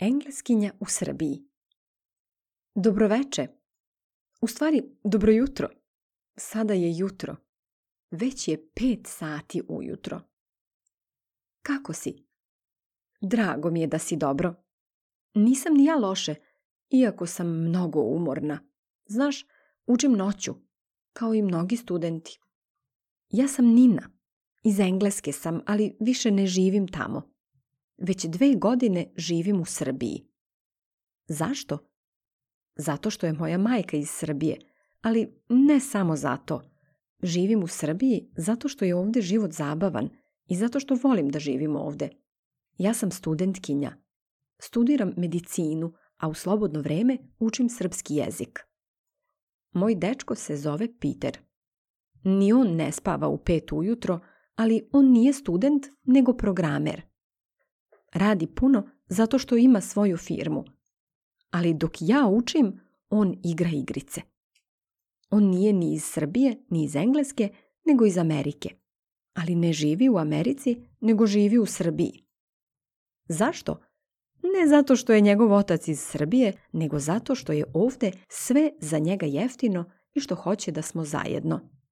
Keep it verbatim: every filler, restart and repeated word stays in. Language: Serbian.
Engleskinja u Srbiji. Dobroveče. U stvari, dobro jutro. Sada je jutro. Već je pet sati ujutro. Kako si? Drago mi je da si dobro. Nisam ni ja loše, iako sam mnogo umorna. Znaš, učim noću, kao i mnogi studenti. Ja sam Nina. Iz Engleske sam, ali više ne živim tamo. Već dve godine živim u Srbiji. Zašto? Zato što je moja majka iz Srbije, ali ne samo zato. Živim u Srbiji zato što je ovdje život zabavan i zato što volim da živim ovdje. Ja sam studentkinja. Studiram medicinu, a u slobodno vrijeme učim srpski jezik. Moj dečko se zove Peter. Ni on ne spava u pet ujutro, ali on nije student, nego programer. Radi puno zato što ima svoju firmu. Ali dok ja učim, on igra igrice. On nije ni iz Srbije, ni iz Engleske, nego iz Amerike. Ali ne živi u Americi, nego živi u Srbiji. Zašto? Ne zato što je njegov otac iz Srbije, nego zato što je ovdje sve za njega jeftino i što hoće da smo zajedno.